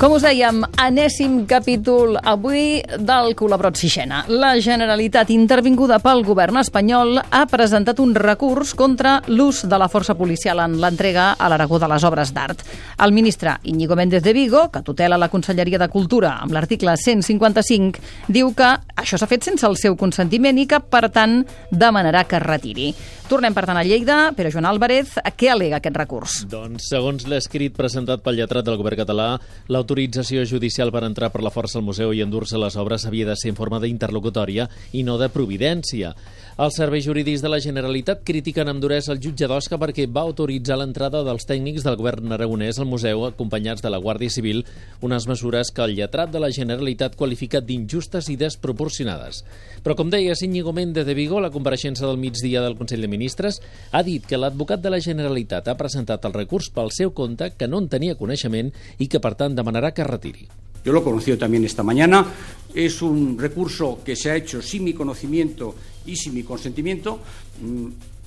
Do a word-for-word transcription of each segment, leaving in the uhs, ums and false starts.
Com us dèiem, enèsim capítol avui del Colabrot Sixena. La Generalitat, intervinguda pel govern espanyol, ha presentat un recurs contra l'ús de la força policial en l'entrega a l'Aragó de les obres d'art. El ministre Íñigo Méndez de Vigo, que tutela la Conselleria de Cultura amb l'article cent cinquanta-cinc, diu que això s'ha fet sense el seu consentiment i que, per tant, demanarà que es retiri. Tornem, per tant, a Lleida. Pere Joan Álvarez, què al·lega aquest recurs? Doncs, segons l'escrit presentat pel lletrat del govern català, l'autorització judicial per entrar per la força al museu i endur-se les obres havia de ser en forma d'interlocutòria i no de providència. Els serveis jurídics de la Generalitat critiquen amb duresa el jutge d'Osca perquè va autoritzar l'entrada dels tècnics del govern aragonès al museu acompanyats de la Guàrdia Civil, unes mesures que el lletrat de la Generalitat qualifica d'injustes i desproporcionades. Però, com deia Íñigo Méndez de Vigo, la compareixença del migdia del Consell de Ministres ha dit que l'advocat de la Generalitat ha presentat el recurs pel seu compte, que no en tenia coneixement i que, per tant, demanarà que es retiri. Yo lo he conocido también esta mañana. Es un recurso que se ha hecho sin mi conocimiento y sin mi consentimiento.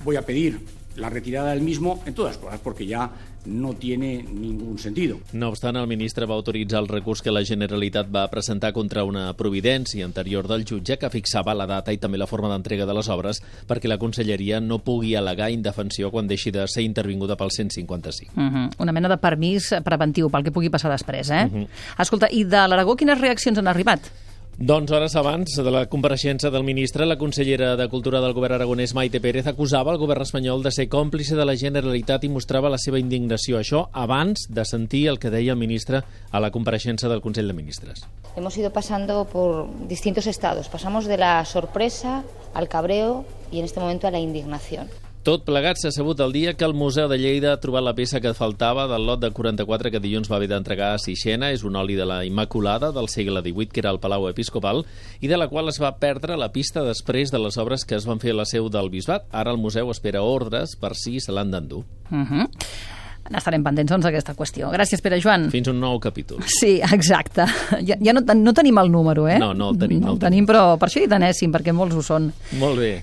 Voy a pedir la retirada del mismo, en todas cosas, porque ya no tiene ningún sentido. No obstant, el ministre va autoritzar el recurs que la Generalitat va presentar contra una providència anterior del jutge que fixava la data i també la forma d'entrega de les obres perquè la Conselleria no pugui al·legar indefensió quan deixi de ser intervinguda pel cent cinquanta-cinc. Uh -huh. Una mena de permís preventiu pel que pugui passar després, eh? Uh -huh. Escolta, i de l'Aragó quines reaccions han arribat? Doncs hores abans de la compareixença del ministre, la consellera de Cultura del govern aragonès, Maite Pérez, acusava el govern espanyol de ser còmplice de la Generalitat i mostrava la seva indignació. Això abans de sentir el que deia el ministre a la compareixença del Consell de Ministres. Hemos ido pasando por distintos estados. Pasamos de la sorpresa al cabreo y en este momento a la indignación. Tot plegat s'ha sabut el dia que el Museu de Lleida ha trobat la peça que faltava del lot de quaranta-quatre que dilluns va haver d'entregar a Sixena. És un oli de la Immaculada del segle divuit, que era el Palau Episcopal, i de la qual es va perdre la pista després de les obres que es van fer a la seu del Bisbat. Ara el museu espera ordres per si se l'han d'endur. Uh -huh. N'estarem pendents, doncs, d'aquesta qüestió. Gràcies, Pere Joan. Fins un nou capítol. Sí, exacte. Ja, ja no, no tenim el número, eh? No, no el tenim. No el tenim, però per això hi anéssim, perquè molts ho són. Molt bé.